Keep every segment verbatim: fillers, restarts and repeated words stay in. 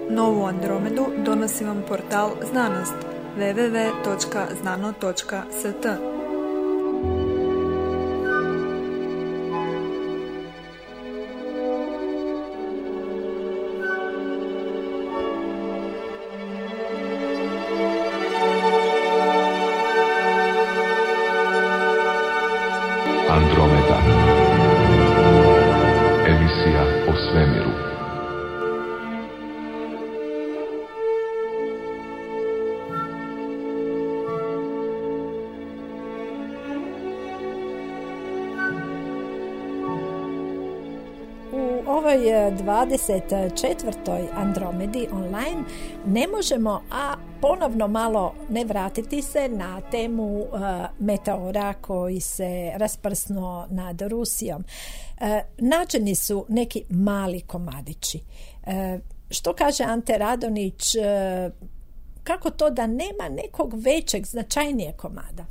Novu Andromedu donosi vam portal Znanost w w w točka znano točka s t. Andromeda. Emisija o svemiru. U ovoj dvadeset četvrtoj Andromedi online ne možemo, a ponovno malo ne vratiti se na temu uh, meteora koji se rasprsnuo nad Rusijom. Uh, nađeni su neki mali komadići. Uh, što kaže Ante Radonić, uh, kako to da nema nekog većeg, značajnijeg komada?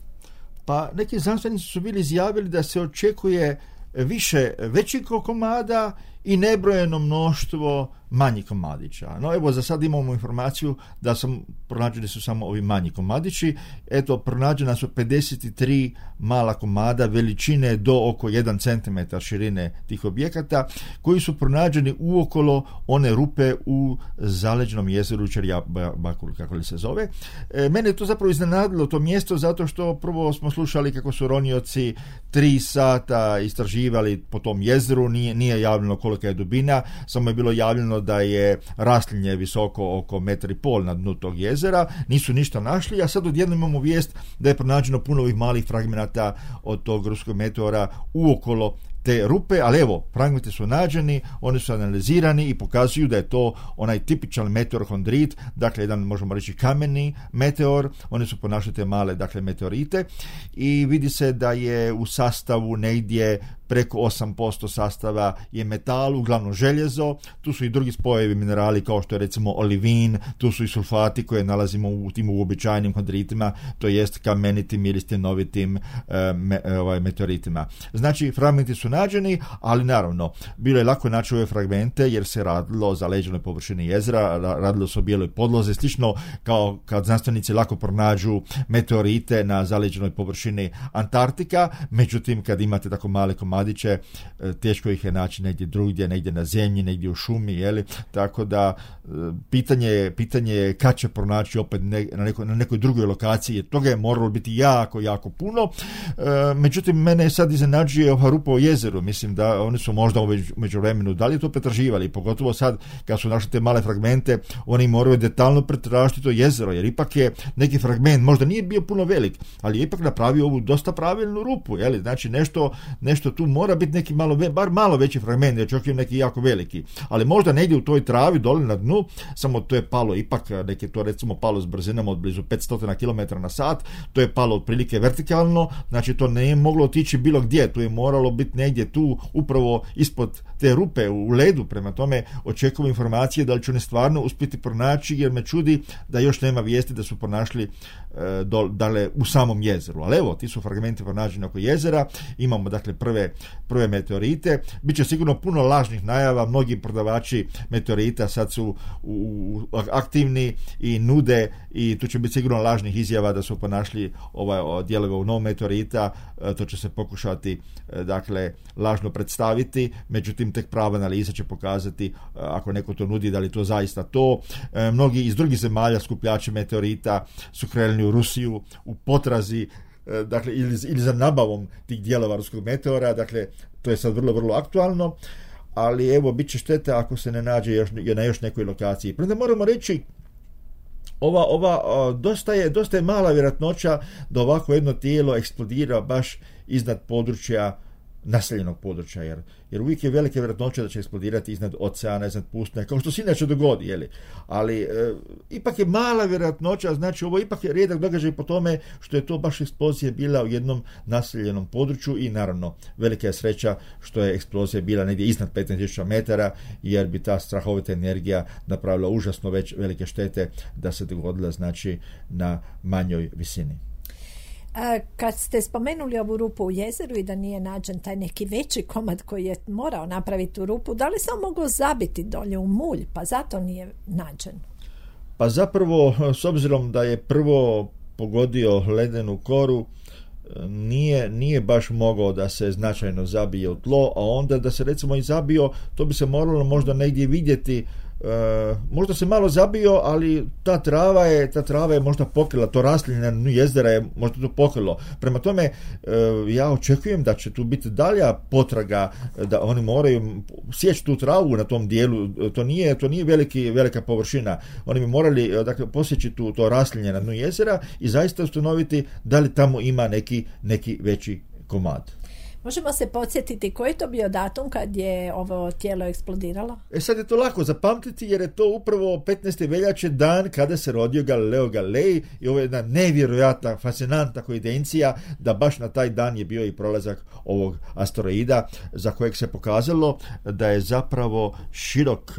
Pa neki znanstvenici su bili izjavili da se očekuje više većih komada i nebrojeno mnoštvo manjih komadića. No evo, za sad imamo informaciju da sam pronađeni su samo ovi manji komadići. Eto, pronađena su pedeset tri mala komada veličine do oko jedan centimetar širine tih objekata, koji su pronađeni uokolo one rupe u zaleđenom jezeru Čerjabakul, kako li se zove. E, mene je to zapravo iznenadilo, to mjesto, zato što prvo smo slušali kako su ronioci tri sata istraživali po tom jezeru, nije, nije javljeno kolika je dubina, samo je bilo javljeno da je raslinje visoko oko metar i pol na dnu tog jezera, nisu ništa našli, a sad odjednom imamo vijest da je pronađeno puno ovih malih fragmenata od tog ruskog meteora uokolo te rupe, ali evo, fragmenti su nađeni, oni su analizirani i pokazuju da je to onaj tipičan meteorohondrit, dakle jedan, možemo reći, kameni meteor. Oni su ponašali te male, dakle, meteorite, i vidi se da je u sastavu negdje preko osam posto sastava je metal, uglavnom željezo. Tu su i drugi spojevi minerali kao što je recimo olivin, tu su i sulfati koje nalazimo u tim uobičajenim hondritima, to jest kamenitim ili stjenovitim e, me, ovaj, meteoritima. Znači, fragmenti su nađeni, ali naravno, bilo je lako naći ove fragmente jer se radilo o zaleđenoj površini jezera, radilo se o bijeloj podlozi, slično kao kad znanstvenici lako pronađu meteorite na zaleđenoj površini Antarktika, međutim, kad imate tako male komadiće, teško ih je naći negdje drugdje, negdje na zemlji, negdje u šumi, jeli? Tako da pitanje je, pitanje je kad će pronaći opet ne, na, neko, na nekoj drugoj lokaciji, toga je moralo biti jako, jako puno. E, međutim, mene sad iznenađuje ova rupa o jezeru, mislim da oni su možda u međuvremenu da li to pretraživali, pogotovo sad kad su našli te male fragmente, oni moraju detaljno pretražiti to jezero, jer ipak je neki fragment, možda nije bio puno velik, ali je ipak napravio ovu dosta pravilnu rupu, jeli? Znači nešto, nešto tu mora biti neki malo, bar malo veći fragment, jer čak je neki jako veliki, ali možda negdje u toj travi dole na dnu, samo to je palo ipak, neki to recimo palo s brzinom od blizu petsto kilometara na sat, to je palo otprilike vertikalno, znači to ne je moglo otići bilo gdje, to je moralo biti negdje tu upravo ispod te rupe u ledu, prema tome očekujem informacije da li će oni stvarno uspjeti pronaći, jer me čudi da još nema vijesti da su pronašli e, do, dale u samom jezeru, ali evo, ti su fragmenti pronađeni oko jezera, imamo dakle prve, prve meteorite, bit će sigurno puno lažnih najava, mnogi prodavači meteorita sad su u, u, aktivni i nude, i tu će biti sigurno lažnih izjava da su pronašli ovaj dijelove u novom meteorita, e, to će se pokušati e, dakle lažno predstaviti, međutim tek prava analiza će pokazati, ako neko to nudi, da li to zaista to. E, mnogi iz drugih zemalja skupljači meteorita su krenuli u Rusiju u potrazi, e, dakle ili, ili za nabavom tih dijelova ruskog meteora, dakle to je sad vrlo, vrlo aktualno, ali evo, bit će šteta ako se ne nađe još, na još nekoj lokaciji. Prema moramo reći, ova, ova o, dosta, je, dosta je mala vjerojatnoća da ovako jedno tijelo eksplodira baš iznad područja naseljenog područja, jer, jer uvijek je velike vjerojatnoće da će eksplodirati iznad oceana, iznad pustinja, kao što se inače dogodi, jeli? Ali e, ipak je mala vjerojatnoća, znači ovo ipak je rijedak događaj po tome što je to baš eksplozija bila u jednom naseljenom području, i naravno velika je sreća što je eksplozija bila negdje iznad petnaest tisuća metara, jer bi ta strahovita energija napravila užasno već velike štete da se dogodila, znači, na manjoj visini. Kad ste spomenuli ovu rupu u jezeru i da nije nađen taj neki veći komad koji je morao napraviti tu rupu, da li se on mogao zabiti dolje u mulj, pa zato nije nađen? Pa zapravo, s obzirom da je prvo pogodio ledenu koru, nije, nije baš mogao da se značajno zabije u tlo, a onda da se recimo i zabio, to bi se moralo možda negdje vidjeti. E, možda se malo zabio, ali ta trava je, ta trava je možda pokrila, to raslinje na dnu jezera je možda to pokrilo. Prema tome, e, ja očekujem da će tu biti dalja potraga, da oni moraju sjeći tu travu na tom dijelu, to nije, to nije veliki, velika površina. Oni bi morali, dakle, posjeći tu, to raslinje na dnu jezera i zaista ustanoviti da li tamo ima neki, neki veći komad. Možemo se podsjetiti koji je to bio datum kad je ovo tijelo eksplodiralo? E sad je to lako zapamtiti jer je to upravo petnaeste veljače, dan kada se rodio Galileo Galilei, i ovo je jedna nevjerojatna, fascinantna koincidencija da baš na taj dan je bio i prolazak ovog asteroida za kojeg se pokazalo da je zapravo širok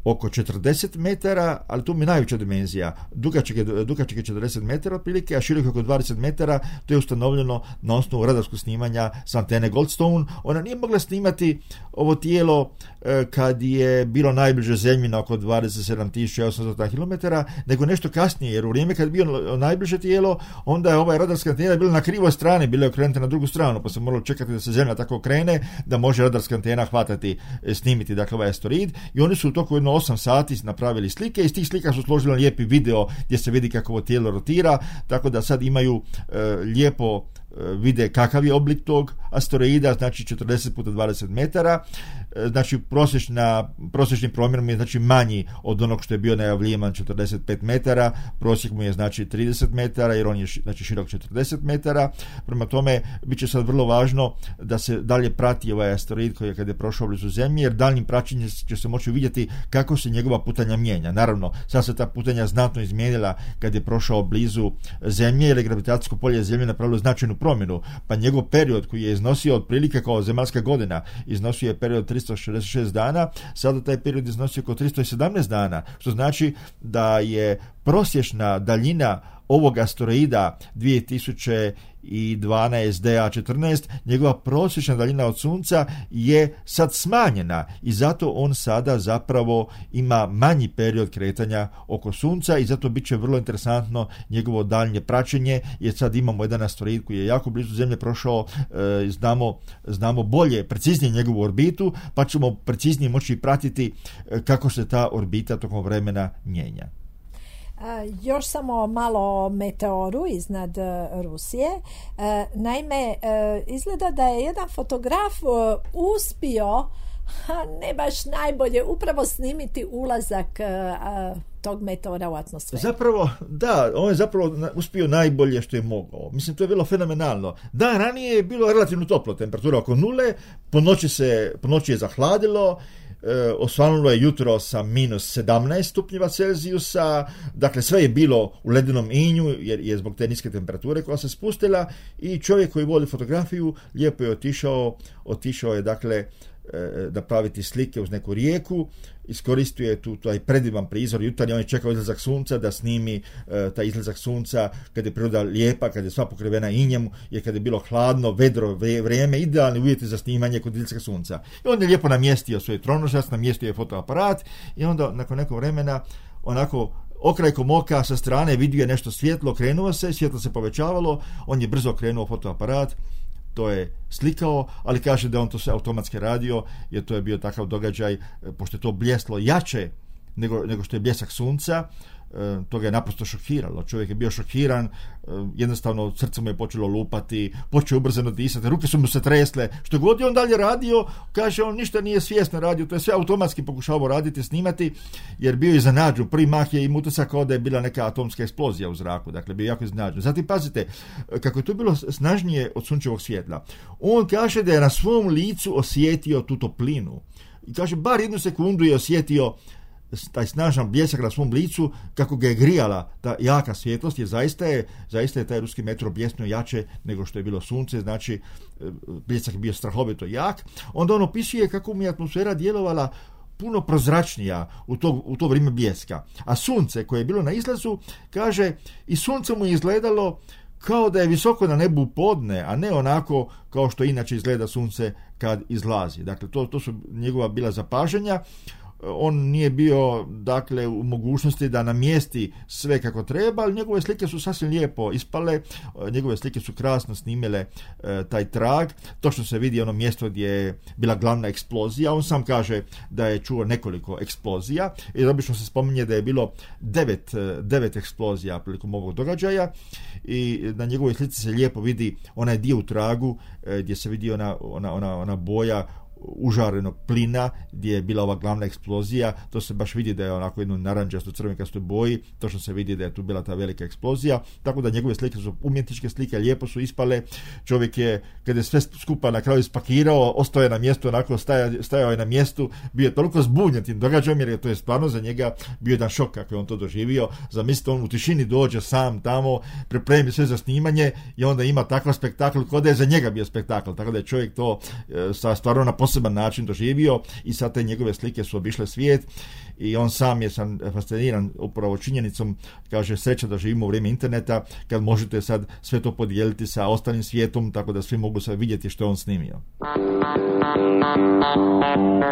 oko četrdeset metara, ali tu mi je najveća dimenzija. Dugačak je, dugačak je četrdeset metara otprilike, a širok oko dvadeset metara. To je ustanovljeno na osnovu radarskog snimanja s antene Goldstone. Ona nije mogla snimati ovo tijelo e, kad je bilo najbliže zemlji na oko dvadeset sedam tisuća osamsto kilometara, nego nešto kasnije, jer u vrijeme kad je bilo najbliže tijelo, onda je ovaj radarska antena bila na krivoj strani, bila je okrenuta na drugu stranu, pa se moralo čekati da se zemlja tako okrene, da može radarska antena hvatati, snimiti, dakle, ovaj asteroid, i oni su u toku jedno osam sati napravili slike, i iz tih slika su složili lijepi video gdje se vidi kako ovo tijelo rotira, tako da sad imaju e, lijepo vide kakav je oblik tog asteroida, znači četrdeset puta dvadeset metara, znači prosječna, prosječni promjer mu je znači manji od onog što je bio najavljivan četrdeset pet metara, prosjek mu je znači trideset metara, jer on je znači širok četrdeset metara. Prema tome, bit će sad vrlo važno da se dalje prati ovaj asteroid koji je kad je prošao blizu Zemlje, jer daljnjim praćenjem će se moći vidjeti kako se njegova putanja mijenja. Naravno, sad se ta putanja znatno izmijenila kad je prošao blizu Zemlje, jer je gravitacijsko polje Zemlje napravilo značajnu promjenu, pa njegov period koji je iznosio otprilike kao zemaljska godina, iznosio je period tristo šezdeset šest dana, sada taj period iznosio oko tristo sedamnaest dana, što znači da je prosječna daljina ovog asteroida dvije tisuće dvanaest D A četrnaest, njegova prosječna daljina od Sunca je sad smanjena i zato on sada zapravo ima manji period kretanja oko Sunca i zato bit će vrlo interesantno njegovo daljnje praćenje, jer sad imamo jedan asteroid koji je jako blizu Zemlje prošao, e, znamo, znamo bolje, preciznije njegovu orbitu, pa ćemo preciznije moći pratiti kako se ta orbita tokom vremena mijenja. Uh, još samo malo o meteoru iznad uh, Rusije. Uh, naime, uh, izgleda da je jedan fotograf uh, uspio, ne baš najbolje, upravo snimiti ulazak uh, uh, tog meteora u atmosferu. Zapravo, da, on je zapravo uspio najbolje što je mogao. Mislim, to je bilo fenomenalno. Dan ranije je bilo relativno toplo, temperatura oko nule, po noći, se, po noći je zahladilo, E, osvanulo je jutro sa minus sedamnaest stupnjeva Celzijusa, dakle sve je bilo u ledenom inju jer je zbog te niske temperature koja se spustila, i čovjek koji voli fotografiju lijepo je otišao, otišao je dakle da praviti slike uz neku rijeku, iskoristio je tu taj predivan prizor jutarnji, on je čekao izlazak sunca da snimi e, taj izlazak sunca kad je priroda lijepa, kad je sva pokrivena injem, jer kad je bilo hladno, vedro vrijeme, idealni uvjeti za snimanje kod izlaska sunca. I on je lijepo namjestio svoj tronožac, namjestio je fotoaparat i onda nakon nekog vremena onako okrajkom oka sa strane vidio je nešto svjetlo, krenuo se, svjetlo se povećavalo, on je brzo krenuo fotoaparat, to je slikao, ali kaže da on to sve automatski radio, jer to je bio takav događaj, pošto je to bljeslo jače nego, nego što je bljesak sunca, to ga je naprosto šokiralo. Čovjek je bio šokiran, jednostavno srce mu je počelo lupati, počeo ubrzano disati, ruke su mu se tresle, što god je on dalje radio, kaže on ništa nije svjesno radio, to je sve automatski pokušavao raditi, snimati, jer bio je iznenađen. Prvi mah je im utisak kao da je bila neka atomska eksplozija u zraku, dakle bio jako iznenađen. Zatim pazite, kako je to bilo snažnije od sunčevog svjetla, on kaže da je na svom licu osjetio tu toplinu i kaže bar jednu sekundu je osjetio taj snažan bljesak na svom licu, kako ga je grijala ta jaka svjetlost, jer zaista je, zaista je taj ruski meteor bljesnuo jače nego što je bilo sunce, znači bljesak je bio strahovito jak. Onda on opisuje kako mu je atmosfera djelovala puno prozračnija u to, u to vrijeme bljeska. A sunce koje je bilo na izlazu, kaže, i sunce mu je izgledalo kao da je visoko na nebu podne, a ne onako kao što inače izgleda sunce kad izlazi. Dakle, to, to su njegova bila zapažanja. On nije bio, dakle, u mogućnosti da namjesti sve kako treba, ali njegove slike su sasvim lijepo ispale, njegove slike su krasno snimile e, taj trag. Točno se vidi ono mjesto gdje je bila glavna eksplozija. On sam kaže da je čuo nekoliko eksplozija i obično se spominje da je bilo devet, devet eksplozija prilikom ovog događaja i na njegovoj slici se lijepo vidi onaj dio u tragu e, gdje se vidi ona, ona, ona, ona boja užarenog plina gdje je bila ova glavna eksplozija. To se baš vidi da je onako jedno naranđasto crvenkastoj boji, to što se vidi da je tu bila ta velika eksplozija, tako da njegove slike su umjetničke slike, lijepo su ispale. Čovjek je, kada je sve skupa na kraju spakirao, ostao je na mjestu, onako staja, stajao je na mjestu, bio je toliko zbunjen tim događajem, jer je to je stvarno za njega bio jedan šok kako je on to doživio. Zamislite, on u tišini dođe sam tamo, pripremi sve za snimanje i onda ima takav spektakl kao da je za njega bio spektakl, tako da je čovjek to e, sa stvarno na poseban način doživio i sad te njegove slike su obišle svijet i on sam je sam fasciniran upravo činjenicom, kaže, sreća da živimo u vrijeme interneta kad možete sad sve to podijeliti sa ostalim svijetom, tako da svi mogu sad vidjeti što je on snimio.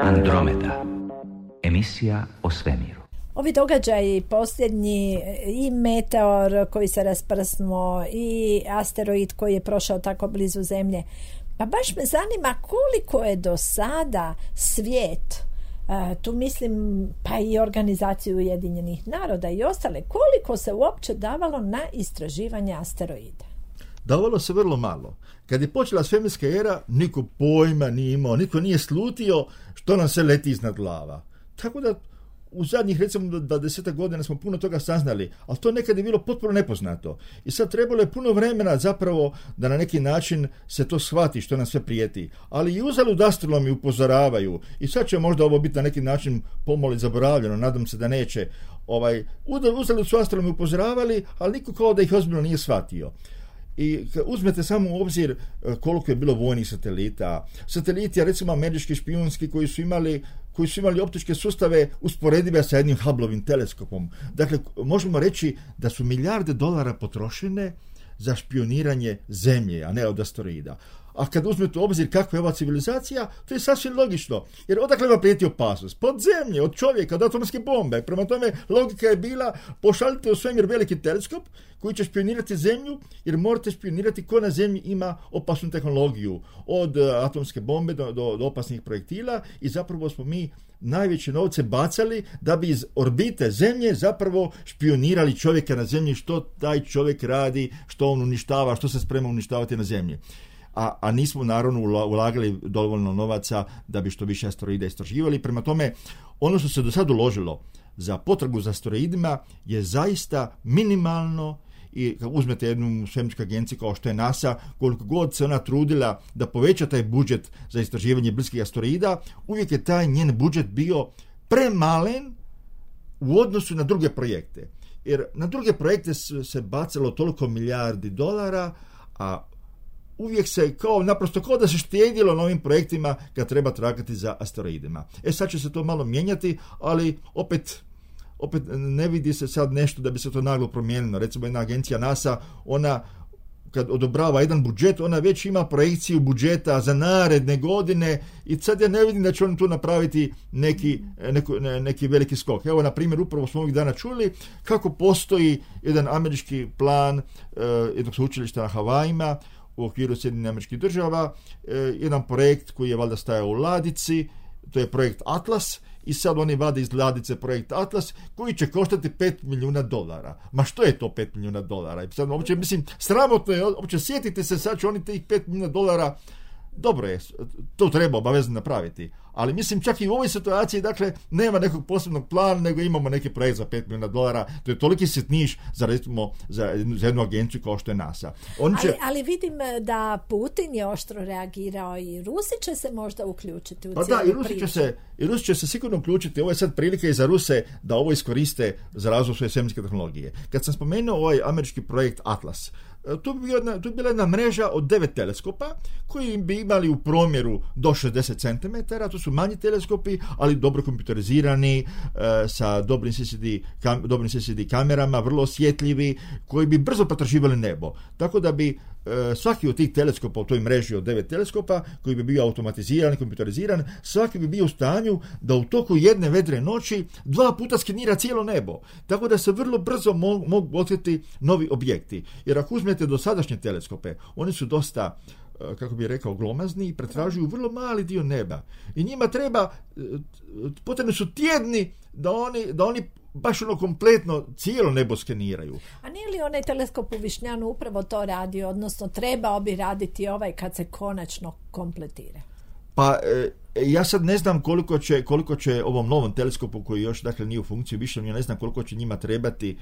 Andromeda, emisija o svemiru. Ovi događaji posljednji, i meteor koji se rasprsnuo i asteroid koji je prošao tako blizu Zemlje, pa baš me zanima koliko je do sada svijet, uh, tu mislim pa i organizaciju Ujedinjenih naroda i ostale, koliko se uopće davalo na istraživanje asteroida? Davalo se vrlo malo. Kad je počela svemirska era, niko pojma nije imao, niko nije slutio što nam se leti iznad glava. Tako da u zadnjih, recimo, dvadesetak godina smo puno toga saznali, ali to nekad je bilo potpuno nepoznato. I sad trebalo je puno vremena zapravo da na neki način se to shvati što nam sve prijeti. Ali i uzalud astronomi upozoravaju i sad će možda ovo biti na neki način pomalo zaboravljeno, nadam se da neće. Ovaj, uzalud su astronomi upozoravali, ali niko kao da ih ozbiljno nije shvatio. I uzmete samo u obzir koliko je bilo vojnih satelita. Sateliti, recimo američki špijunski, koji su imali koji su imali optičke sustave usporedive sa jednim Hubbleovim teleskopom. Dakle, možemo reći da su milijarde dolara potrošene za špioniranje Zemlje, a ne od asteroida. A kad uzmete u obzir kakva je ova civilizacija, to je sasvim logično. Jer odakle vam prijeti opasnost? Pod zemlje, od čovjeka, od atomske bombe. Prema tome, logika je bila, pošaljite u svemir veliki teleskop koji će špionirati Zemlju, jer morate špionirati ko na Zemlji ima opasnu tehnologiju. Od atomske bombe do, do, do opasnih projektila i zapravo smo mi najveće novce bacali da bi iz orbite Zemlje zapravo špionirali čovjeka na Zemlji, što taj čovjek radi, što on uništava, što se sprema uništavati na Zemlji. A, a nismo naravno ulagali dovoljno novaca da bi što više asteroida istraživali. Prema tome, ono što se do sad uložilo za potragu za asteroidima je zaista minimalno i kad uzmete jednu svemirsku agenciju kao što je NASA, koliko god se ona trudila da poveća taj budžet za istraživanje bliskih asteroida, uvijek je taj njen budžet bio premalen u odnosu na druge projekte. Jer na druge projekte se bacalo toliko milijardi dolara, a uvijek se kao, naprosto kao da se štedjelo na ovim projektima kad treba tragati za asteroidima. E sad će se to malo mijenjati, ali opet, opet ne vidi se sad nešto da bi se to naglo promijenilo. Recimo jedna agencija NASA, ona kad odobrava jedan budžet, ona već ima projekciju budžeta za naredne godine i sad ja ne vidim da će on tu napraviti neki, neko, ne, neki veliki skok. Evo, na primjer, upravo smo ovih dana čuli kako postoji jedan američki plan uh, jednog sveučilišta na Havajima u okviru Sjedinjenih Američkih Država, uh, jedan projekt koji je valjda stajao u ladici, to je projekt Atlas, i sad oni vade iz ladice projekt Atlas koji će koštati pet milijuna dolara. Ma što je to pet milijuna dolara? I sad, uopće, mislim, sramotno je, uopće sjetite se, sad će oni tih pet milijuna dolara, dobro je, to treba obavezno napraviti. Ali mislim, čak i u ovoj situaciji, dakle, nema nekog posebnog plana, nego imamo neki projekt za pet milijuna dolara. To je toliki sitniš za, recimo, za, za jednu agenciju kao što je NASA. On će... ali, ali vidim da Putin je oštro reagirao i Rusi će se možda uključiti u pa cijelu da, i Rusi priču. će se, i Rusi će se sigurno uključiti. Ovo je sad prilika i za Ruse da ovo iskoriste za razvoj svoje svemirske tehnologije. Kad sam spomenuo ovaj američki projekt Atlas, tu bi, jedna, tu bi bila jedna mreža od devet teleskopa koji bi imali u promjeru do šezdeset centimetara, to su manji teleskopi, ali dobro kompjuterizirani, e, sa dobrim C C D, kam, dobrim C C D kamerama, vrlo osjetljivi, koji bi brzo pretraživali nebo. Tako da bi e, svaki od tih teleskopa u toj mreži od devet teleskopa, koji bi bio automatiziran i kompjuteriziran, svaki bi bio u stanju da u toku jedne vedre noći dva puta skenira cijelo nebo. Tako da se vrlo brzo mogu, mogu otkriti novi objekti. Jer ako uzmete dosadašnje teleskope, oni su dosta, kako bih rekao, glomazni i pretražuju vrlo mali dio neba. I njima treba, potrebni su tjedni da oni, da oni baš ono kompletno cijelo nebo skeniraju. A nije li onaj teleskop u Višnjanu upravo to radi, odnosno trebao bi raditi ovaj kad se konačno kompletira? Pa e, ja sad ne znam koliko će, koliko će ovom novom teleskopu koji još dakle nije u funkciji više, ja ne znam koliko će njima trebati,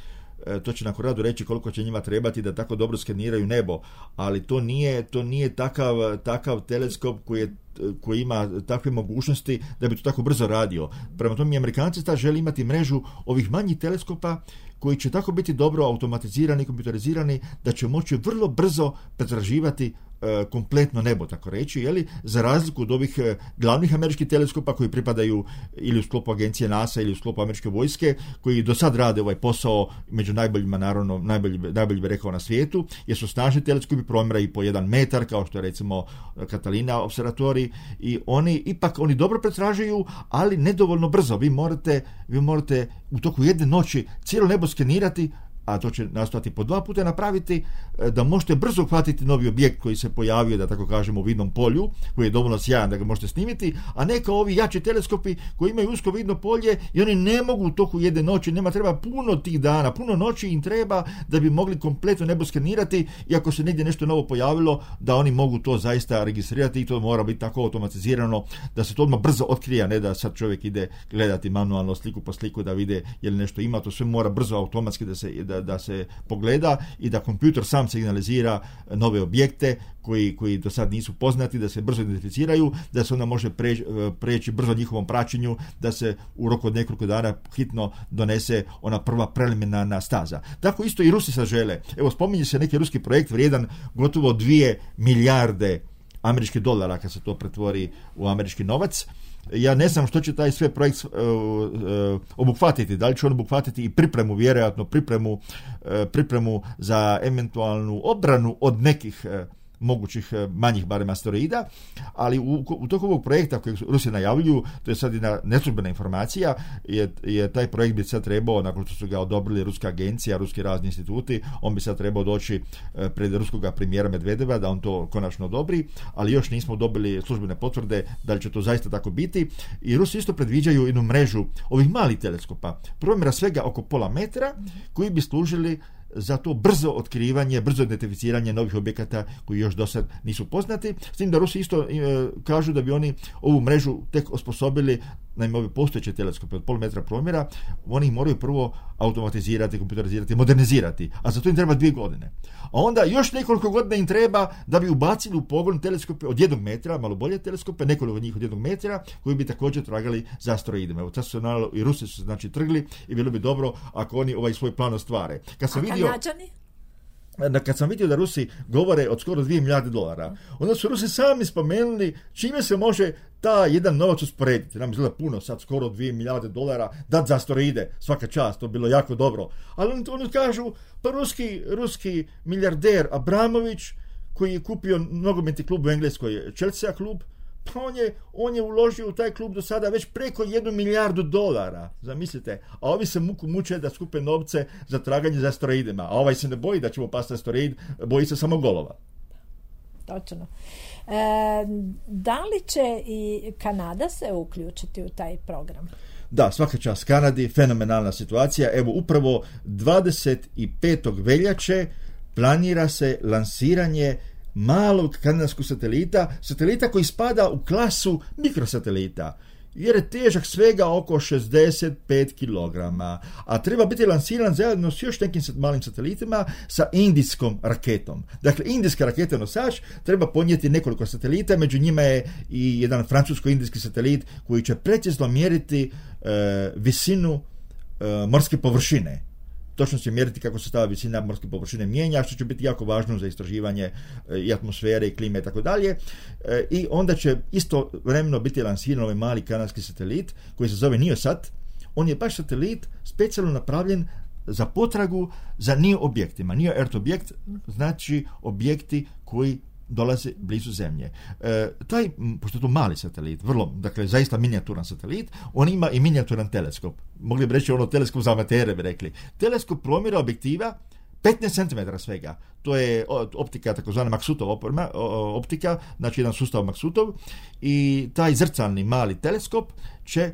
e, to će na Koradu reći koliko će njima trebati da tako dobro skeniraju nebo, ali to nije, to nije takav, takav teleskop koji je koji ima takve mogućnosti da bi to tako brzo radio. Prema tome, Amerikanci ta žele imati mrežu ovih manjih teleskopa koji će tako biti dobro automatizirani, kompjuterizirani, da će moći vrlo brzo pretraživati e, kompletno nebo, tako reći, jeli, za razliku od ovih e, glavnih američkih teleskopa koji pripadaju ili u sklopu agencije NASA ili u sklopu američke vojske, koji do sad rade ovaj posao među najboljima, naravno, najbolji, najbolji bi rekao na svijetu, jer su snažni teleskopi, promjeraju po jedan metar, kao što je recimo Catalina observatorij, i oni ipak oni dobro pretražuju, ali nedovoljno brzo. Vi morate, vi morate u toku jedne noći cijelo nebo skenirati, a to će nastojati po dva puta napraviti, da možete brzo uhvatiti novi objekt koji se pojavio, da tako kažemo, u vidnom polju, koji je dovoljno sjajan da ga možete snimiti, a ne kao ovi jači teleskopi koji imaju usko vidno polje i oni ne mogu u toku jedne noći, nema treba puno tih dana, puno noći im treba da bi mogli kompletno nebo skenirati, i ako se negdje nešto novo pojavilo, da oni mogu to zaista registrirati, i to mora biti tako automatizirano da se to odmah brzo otkrije, ne da sad čovjek ide gledati manualno sliku po sliku da vide je li nešto ima, to sve mora brzo automatski da se da, da se pogleda i da kompjuter sam signalizira nove objekte koji, koji do sad nisu poznati, da se brzo identificiraju, da se onda može preći, preći brzo njihovom praćenju, da se u roku od nekoliko dana hitno donese ona prva preliminarna staza. Tako isto i Rusi sad žele. Evo, spominje se neki ruski projekt vrijedan gotovo dvije milijarde američkih dolara kad se to pretvori u američki novac. Ja ne znam što će taj sve projekt uh, uh, obuhvatiti, da li će on obuhvatiti i pripremu, vjerojatno pripremu, uh, pripremu za eventualnu obranu od nekih uh, mogućih manjih barem asteroida, ali u, u toku ovog projekta kojeg Rusi najavljuju, to je sad jedna neslužbena informacija, je, je taj projekt bi sad trebao, nakon što su ga odobrili ruska agencija, ruski razni instituti, on bi sad trebao doći pred ruskog premijera Medvedeva da on to konačno odobri, ali još nismo dobili službene potvrde da li će to zaista tako biti. I Rusi isto predviđaju jednu mrežu ovih malih teleskopa, promjera svega oko pola metra, koji bi služili za to brzo otkrivanje, brzo identificiranje novih objekata koji još do sad nisu poznati. S tim da Rusi isto e, kažu da bi oni ovu mrežu tek osposobili, naime ove postojeće teleskope od pol metra promjera, oni ih moraju prvo automatizirati, kompjuterizirati, modernizirati, a za to im treba dvije godine. A onda još nekoliko godina im treba da bi ubacili u pogon teleskope od jednog metra, malo bolje teleskope, nekoliko njih od jednog metra, koji bi također tragali za asteroidima. Evo, sad su naravno i Rusi su znači trgli i bilo bi dobro ako oni ovaj svoj plan ostvare. Kad sam vidio Kanadžani? Kad sam vidio da Rusi govore od skoro dvije milijarde dolara, onda su Rusi sami spomenuli čime se može ta jedan novac usporediti. Nam izgleda puno, sad skoro dvije milijarde dolara dat za asteroide, svaka čast, to bi bilo jako dobro. Ali oni, oni kažu, pa ruski, ruski milijarder Abramović, koji je kupio nogometni klub u Engleskoj, Chelsea klub, pa on je, on je uložio u taj klub do sada već preko jednu milijardu dolara, zamislite, a ovi se muku muče da skupe novce za traganje za asteroidima, a ovaj se ne boji da će mu pasti asteroid, boji se samo golova. Točno. E, da li će i Kanada se uključiti u taj program? Da, svaka čast Kanadi, fenomenalna situacija. Evo, upravo dvadeset petog veljače planira se lansiranje malog kanadskog satelita, satelita koji spada u klasu mikrosatelita, jer je težak svega oko šezdeset pet kilograma, a treba biti lansiran zajedno s još nekim malim satelitima sa indijskom raketom. Dakle, indijska raketa nosač treba ponijeti nekoliko satelita, među njima je i jedan francusko-indijski satelit koji će precizno mjeriti e, visinu e, morske površine. točno će mjeriti kako se stava visina morske površine mijenja, što će biti jako važno za istraživanje i atmosfere i klime i tako dalje. I onda će isto vremeno biti lansiran ovaj mali kanadski satelit koji se zove NIOSat. On je baš satelit specijalno napravljen za potragu za NIO objektima. NIO Earth objekt znači objekti koji dolaze blizu Zemlje. E, taj, pošto je to mali satelit, vrlo, dakle, zaista minijaturan satelit, on ima i minijaturan teleskop. Mogli bi reći ono teleskop za amatere, bi rekli. Teleskop promjera objektiva petnaest centimetara svega. To je optika, takozvana Maksutov optika, znači jedan sustav Maksutov, i taj zrcalni mali teleskop će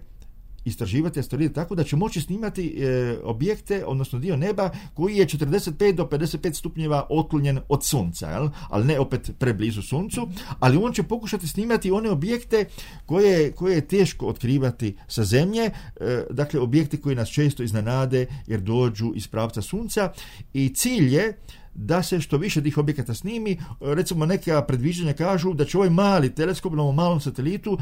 istraživati asteroide tako da će moći snimati e, objekte, odnosno dio neba koji je četrdeset pet do pedeset pet stupnjeva otklonjen od sunca, jel? Ali ne opet preblizu suncu, ali on će pokušati snimati one objekte koje, koje je teško otkrivati sa Zemlje, e, dakle objekte koji nas često iznenade jer dođu iz pravca sunca, i cilj je da se što više tih objekata snimi. Recimo neka predviđanja kažu da će ovaj mali teleskop na ovom malom satelitu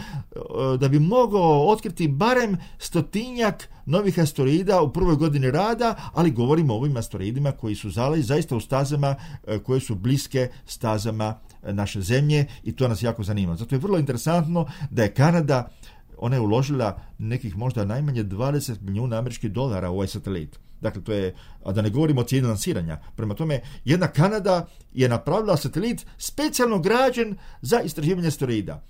da bi mogao otkriti barem stotinjak novih asteroida u prvoj godini rada, ali govorimo o ovim asteroidima koji su zali zaista u stazama koje su bliske stazama naše Zemlje, i to nas jako zanima. Zato je vrlo interesantno da je Kanada, ona je uložila nekih možda najmanje dvadeset milijuna američkih dolara u ovaj satelit. Dakle, to je, a da ne govorimo o cijeni lansiranja. Prema tome, jedna Kanada je napravila satelit specijalno građen za istraživanje asteroida.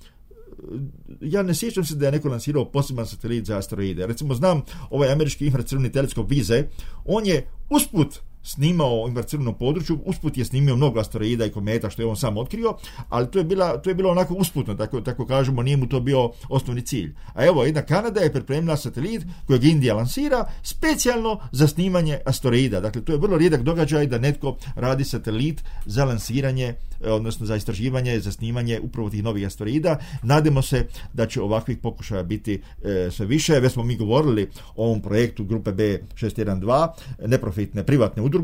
Ja ne sjećam se da je neko lansirao poseban satelit za asteroide. Recimo, znam ovaj američki infracrveni teleskop Vize, on je usput snimao u infracrvenom području, usput je snimio mnogo asteroida i kometa, što je on sam otkrio, ali to je, bila, to je bilo onako usputno, tako, tako kažemo, nije mu to bio osnovni cilj. A evo, jedna Kanada je pripremila satelit kojeg Indija lansira specijalno za snimanje asteroida. Dakle, to je vrlo rijedak događaj da netko radi satelit za lansiranje, odnosno za istraživanje, za snimanje upravo tih novih asteroida. Nadamo se da će ovakvih pokušaja biti e, sve više. Već smo mi govorili o ovom projektu grupe B šest jedan dva, neprofitne privatne udruge,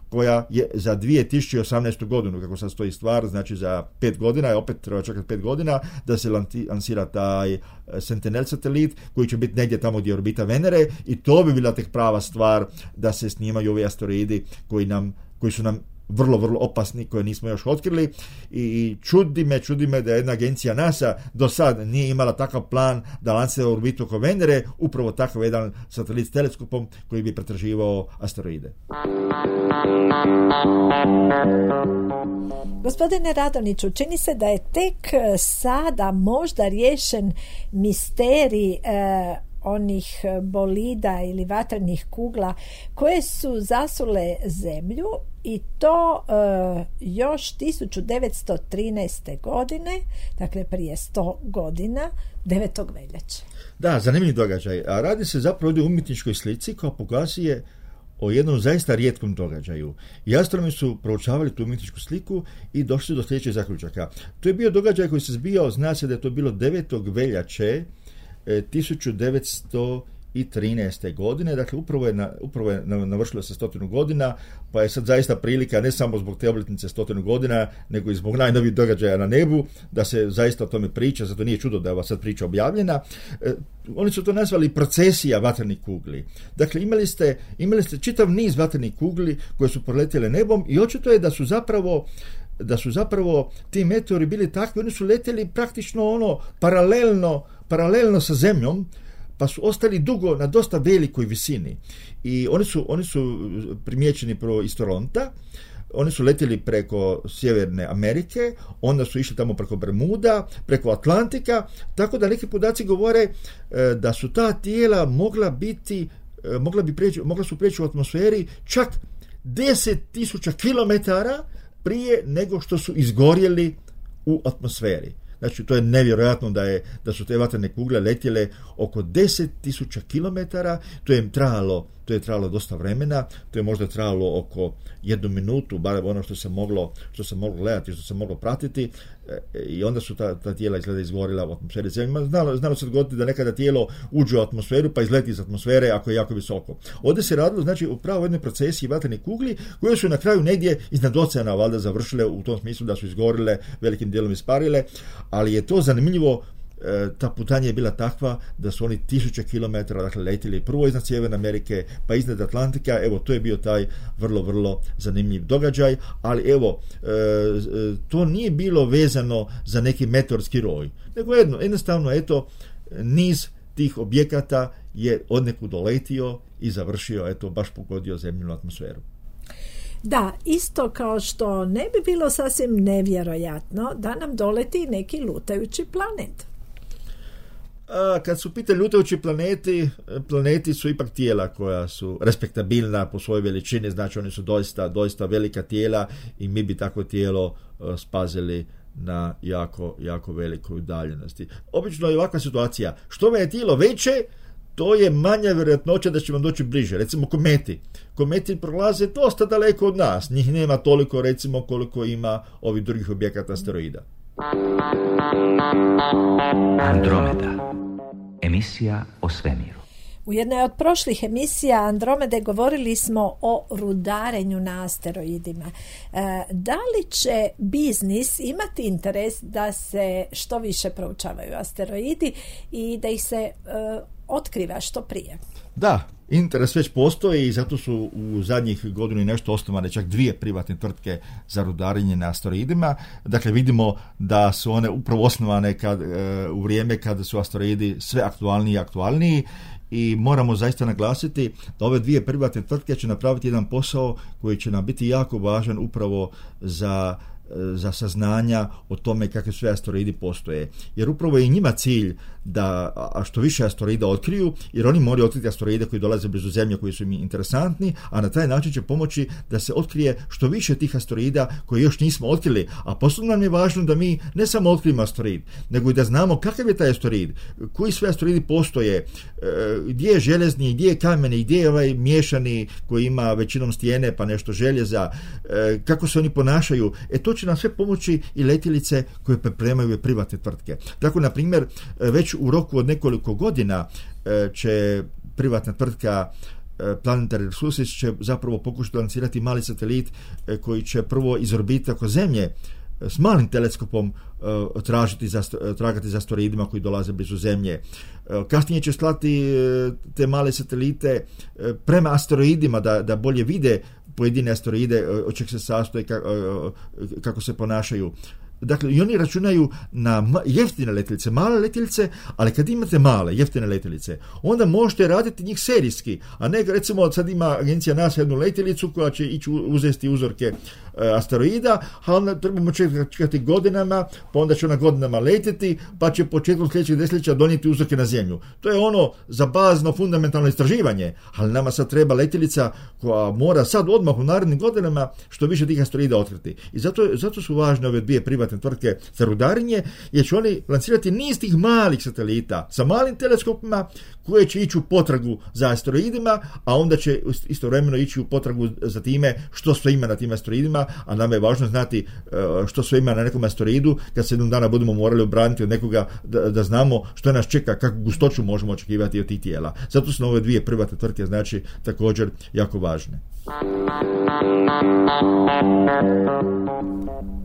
koja je za dvije tisuće osamnaestu godinu, kako sad stoji stvar, znači za pet godina, opet treba čekati pet godina, da se lansira taj Sentinel satelit, koji će biti negdje tamo gdje orbita Venere, i to bi bila tek prava stvar da se snimaju ovi asteroidi koji nam, koji su nam vrlo, vrlo opasni, koje nismo još otkrili, i čudi me, čudi me da jedna agencija NASA do sad nije imala takav plan da lansira orbitu oko Venere, upravo takav jedan satelit s teleskopom koji bi pretraživao asteroide. Gospodine Radonjiću, čini se da je tek sada možda riješen misterij eh, onih bolida ili vatrenih kugla koje su zasule Zemlju, i to e, još tisuću devetsto trinaeste. godine, dakle prije sto godina, devetog veljače. Da, zanimljiv događaj. A radi se zapravo ovdje o umjetničkoj slici koja pokazuje o jednom zaista rijetkom događaju. I astronomi su proučavali tu umjetničku sliku i došli do sljedećeg zaključaka. To je bio događaj koji se zbijao, zna se da je to bilo devetog veljače tisuću devetsto trinaeste. godine, dakle upravo je, na, upravo je navršilo se stotinu godina, pa je sad zaista prilika ne samo zbog te obljetnice stotinu godina, nego i zbog najnovijih događaja na nebu, da se zaista o tome priča, zato nije čudo da je ova sad priča objavljena. E, oni su to nazvali procesija vatrenih kugli. Dakle, imali ste, imali ste čitav niz vatrenih kugli koje su proletjele nebom, i očito je da su zapravo da su zapravo ti meteori bili takvi, oni su letjeli praktično ono paralelno, paralelno sa Zemljom, pa su ostali dugo na dosta velikoj visini. I oni su, oni su primijećeni prvo iz Toronta, oni su letjeli preko Sjeverne Amerike, onda su išli tamo preko Bermuda, preko Atlantika, tako da neki podaci govore da su ta tijela mogla biti, mogla, bi preći, mogla su preći u atmosferi čak deset tisuća kilometara prije nego što su izgorjeli u atmosferi. Znači, to je nevjerojatno da, je, da su te vatrene kugle letjele oko deset tisuća kilometara, to je trajalo, to je trajalo dosta vremena, to je možda trajalo oko jednu minutu, bar ono što se moglo, što se moglo gledati, što se moglo pratiti, e, i onda su ta, ta tijela izgleda izgorila u atmosferi Zemlje. Znalo, znalo se dogoditi da nekada tijelo uđe u atmosferu pa izleti iz atmosfere ako je jako visoko. Ovdje se radilo, znači, upravo o jednoj procesiji vatrenih kugli koje su na kraju negdje iznad oceana valjda završile u tom smislu da su izgorile, velikim dijelom isparile, ali je to zanimljivo ta putanja je bila takva da su oni tisuće kilometara dakle, letili prvo iznad Sjeverne Amerike, pa iznad Atlantika. Evo, to je bio taj vrlo, vrlo zanimljiv događaj, ali evo, to nije bilo vezano za neki meteorski roj, nego jedno, jednostavno, eto, niz tih objekata je odnekud doletio i završio, eto, baš pogodio zemljinu atmosferu. Da, isto kao što ne bi bilo sasvim nevjerojatno da nam doleti neki lutajući planet. A, kad su pitali lutajući planeti, planeti su ipak tijela koja su respektabilna po svojoj veličini, znači oni su doista, doista velika tijela i mi bi takvo tijelo uh, spazili na jako, jako velikoj udaljenosti. Obično je ovakva situacija. Što vam je tijelo veće, to je manja vjerojatnoća da će vam doći bliže. Recimo kometi. Kometi prolaze dosta daleko od nas. Njih nema toliko, recimo, koliko ima ovih drugih objekata asteroida. Andromeda. Emisija o svemiru. U jednoj od prošlih emisija Andromede govorili smo o rudarenju na asteroidima. E, da li će biznis imati interes da se što više proučavaju asteroidi i da ih se e, otkriva što prije? Da, interes već postoji i zato su u zadnjih godinu i nešto osnovane čak dvije privatne tvrtke za rudarenje na asteroidima. Dakle, vidimo da su one upravo osnovane kad, e, u vrijeme kada su asteroidi sve aktualniji i aktualniji. I moramo zaista naglasiti da ove dvije privatne tvrtke će napraviti jedan posao koji će nam biti jako važan upravo za, za saznanja o tome kakve sve asteroidi postoje. Jer upravo je i njima cilj da a što više asteroida otkriju, jer oni moraju otkriti asteroide koji dolaze blizu Zemlje, koji su im interesantni, a na taj način će pomoći da se otkrije što više tih asteroida koje još nismo otkrili. A posebno nam je važno da mi ne samo otkrijemo asteroid, nego i da znamo kakav je taj asteroid, koji sve asteroidi postoje, gdje je željezni, gdje je kameni, gdje je ovaj miješani koji ima većinom stijene pa nešto željeza, kako se oni ponašaju. E to će nam sve pomoći i letjelice koje pripremaju privatne tvrtke. Tako, na primjer, već u roku od nekoliko godina će privatna tvrtka Planetary Resources će zapravo pokušati lancirati mali satelit koji će prvo iz orbite oko Zemlje s malim teleskopom tražiti za, tragati za asteroidima koji dolaze blizu Zemlje. Kasnije će slati te male satelite prema asteroidima da, da bolje vide pojedine asteroide, od čeg se sastoje, kako se ponašaju. Dakle, i oni računaju na jeftine letjelice, male letjelice, ali kad imate male, jeftine letjelice, onda možete raditi njih serijski, a ne, recimo, sad ima agencija NASA jednu letjelicu koja će ići uzeti uzorke e, asteroida, a onda trebamo čekati godinama, pa onda će ona godinama letjeti, pa će početkom sljedećeg desetljeća donijeti uzorke na Zemlju. To je ono za bazno, fundamentalno istraživanje, ali nama sad treba letjelica koja mora sad odmah u narednim godinama što više tih asteroida otkriti. I zato, zato su važne ove dvije privatne tvrtke za rudarenje, jer će oni lancirati niz tih malih satelita sa malim teleskopima koje će ići u potragu za asteroidima, a onda će istovremeno ići u potragu za time što sve ima na tim asteroidima, a nama je važno znati što sve ima na nekom asteroidu kad se jednog dana budemo morali obraniti od nekoga, da, da znamo što nas čeka, kakvu gustoću možemo očekivati od tih tijela. Zato su ove dvije privatne tvrtke znači također jako važne.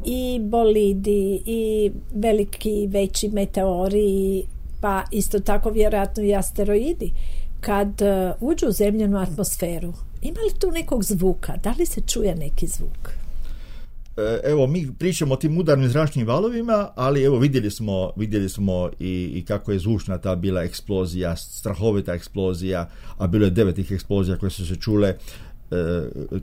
I bolidi, i veliki, veći meteori, pa isto tako vjerojatno i asteroidi, kad uđu u zemljenu atmosferu, ima li tu nekog zvuka? Da li se čuje neki zvuk? Evo, mi pričamo o tim udarnim zračnim valovima, ali evo vidjeli smo, vidjeli smo i, i kako je zvučna ta bila eksplozija, strahovita eksplozija, a bilo je devet tih eksplozija koje su se čule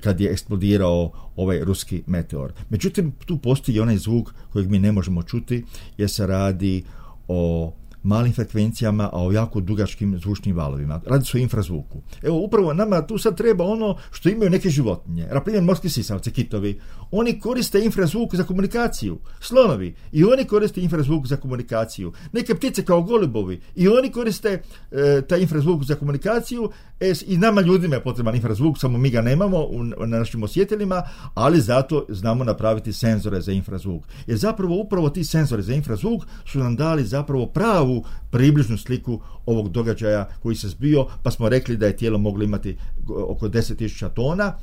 kad je eksplodirao ovaj ruski meteor. Međutim, tu postoji onaj zvuk kojeg mi ne možemo čuti, jer se radi o malim frekvencijama, a o jako dugačkim zvučnim valovima. Radi se o infrazvuku. Evo, upravo nama tu sad treba ono što imaju neke životinje. Na primjer, morski sisavci, kitovi. Oni koriste infrazvuk za komunikaciju. Slonovi. I oni koriste infrazvuk za komunikaciju. Neke ptice kao golubovi. I oni koriste e, taj infrazvuk za komunikaciju. E, I nama ljudima je potreban infrazvuk, samo mi ga nemamo u, na našim osjetilima, ali zato znamo napraviti senzore za infrazvuk. Jer zapravo upravo ti senzori za infrazvuk su nam dali zapravo pravu približnu sliku ovog događaja koji se zbio, pa smo rekli da je tijelo moglo imati oko deset tisuća tona.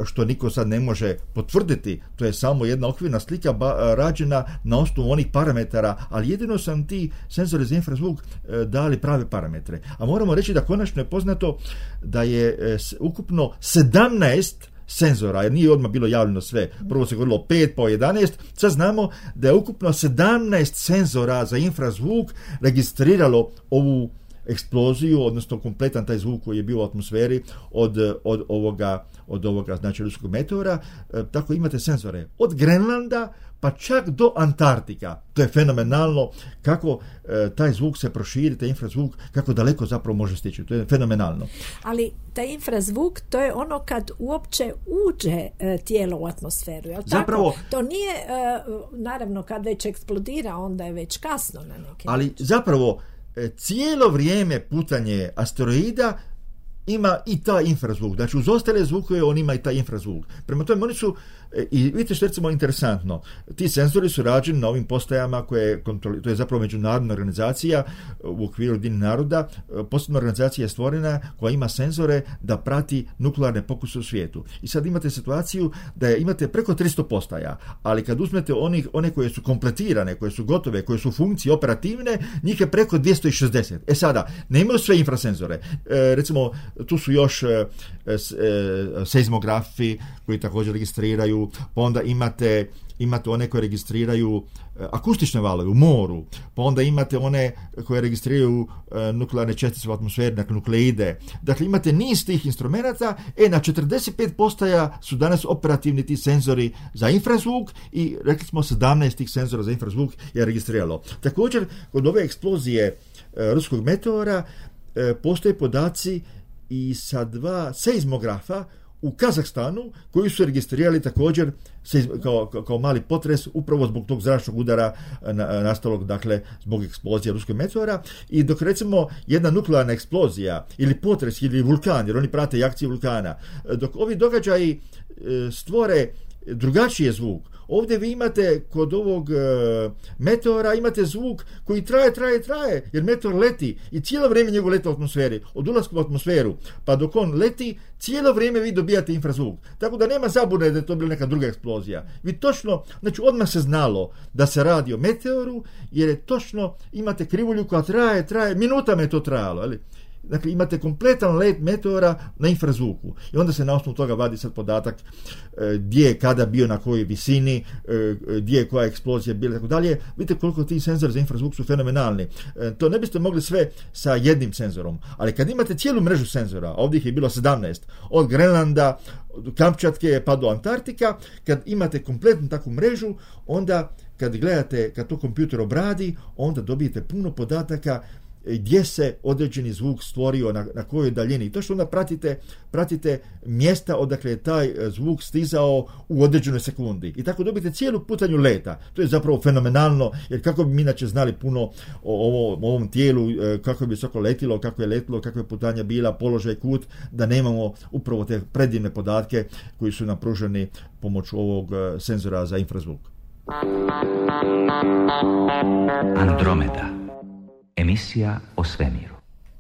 što niko sad ne može potvrditi, to je samo jedna okvirna slika ba, rađena na osnovu onih parametara, ali jedino sam ti senzori za infrazvuk dali prave parametre. A moramo reći da konačno je poznato da je ukupno sedamnaest senzora, jer nije odmah bilo javljeno sve. Prvo se govorilo o pet, pa o jedanaest. Sad znamo da je ukupno sedamnaest senzora za infrazvuk registriralo ovu eksploziju, odnosno kompletan taj zvuk koji je bio u atmosferi od, od ovoga, od ovoga znači ruskog meteora. E, tako imate senzore od Grenlanda pa čak do Antarktika. To je fenomenalno kako e, taj zvuk se proširi, taj infrazvuk, kako daleko zapravo može stići. To je fenomenalno. Ali taj infrazvuk, to je ono kad uopće uđe e, tijelo u atmosferu. Jel zapravo, tako? To nije, e, naravno, kad već eksplodira, onda je već kasno na neki ali način. Zapravo, e, cijelo vrijeme putanje asteroida ima i taj infrazvuk. Znači, uz ostale zvukove on ima i taj infrazvuk. Prema tome, oni su, i vidite što je recimo interesantno, ti senzori su rađeni na ovim postajama koje kontroli, to je zapravo međunarodna organizacija u okviru Ujedinjenih naroda, posebna organizacija je stvorena koja ima senzore da prati nuklearne pokuse u svijetu. I sad imate situaciju da je, imate preko tristo postaja, ali kad uzmete onih, one koje su kompletirane, koje su gotove, koje su u funkciji operativne, njih je preko dvjesto šezdeset. E sada, nemaju sve infrasenzore. E, recimo, tu su još e, e, seizmografi koji također registriraju, pa onda imate, imate one koje registriraju e, akustične valove u moru, pa onda imate one koje registriraju e, nuklearne čestice u atmosferi, dakle nukleide. Dakle, imate niz tih instrumenata, e, na četrdeset pet postaja su danas operativni ti senzori za infrazvuk i rekli smo sedamnaest tih senzora za infrazvuk je registriralo. Također, kod ove eksplozije e, ruskog meteora e, postoje podaci i sa dva seizmografa u Kazahstanu koji su registrirali također kao, kao, kao mali potres upravo zbog tog zračnog udara na, nastalog, dakle, zbog eksplozije ruskog meteora. I dok recimo jedna nuklearna eksplozija ili potres ili vulkan, jer oni prate i akcije vulkana, dok ovi događaji stvore drugačiji zvuk. Ovdje vi imate kod ovog e, meteora imate zvuk koji traje, traje, traje, jer meteor leti i cijelo vrijeme njegov leta u atmosferi, od ulaska u atmosferu, pa dok on leti, cijelo vrijeme vi dobijate infrazvuk. Tako da nema zabune da je to bila neka druga eksplozija. Vi točno, znači odmah se znalo da se radi o meteoru, jer je točno, imate krivulju koja traje, traje, minutama je to trajalo, ali dakle, imate kompletan let meteora na infrazvuku. I onda se na osnovu toga vadi sad podatak e, gdje je kada bio, na kojoj visini, e, gdje je koja eksplozija bila, tako dalje. Vidite koliko ti senzori za infrazvuk su fenomenalni. E, to ne biste mogli sve sa jednim senzorom. Ali kad imate cijelu mrežu senzora, ovdje ih je bilo sedamnaest, od Grenlanda, od Kamčatke pa do Antarktika, kad imate kompletnu takvu mrežu, onda kad gledate, kad to kompjuter obradi, onda dobijete puno podataka gdje se određeni zvuk stvorio, na, na kojoj daljini. I to što onda pratite, pratite mjesta odakle je taj zvuk stizao u određenoj sekundi. I tako dobijete cijelu putanju leta. To je zapravo fenomenalno, jer kako bi mi inače znali puno o, ovo, o ovom tijelu, kako bi visoko letilo, kako je letilo, kakva je putanja bila, položaj, kut, da nemamo upravo te predivne podatke koji su nam pruženi pomoću ovog senzora za infrazvuk. Andromeda. Emisija o svemiru.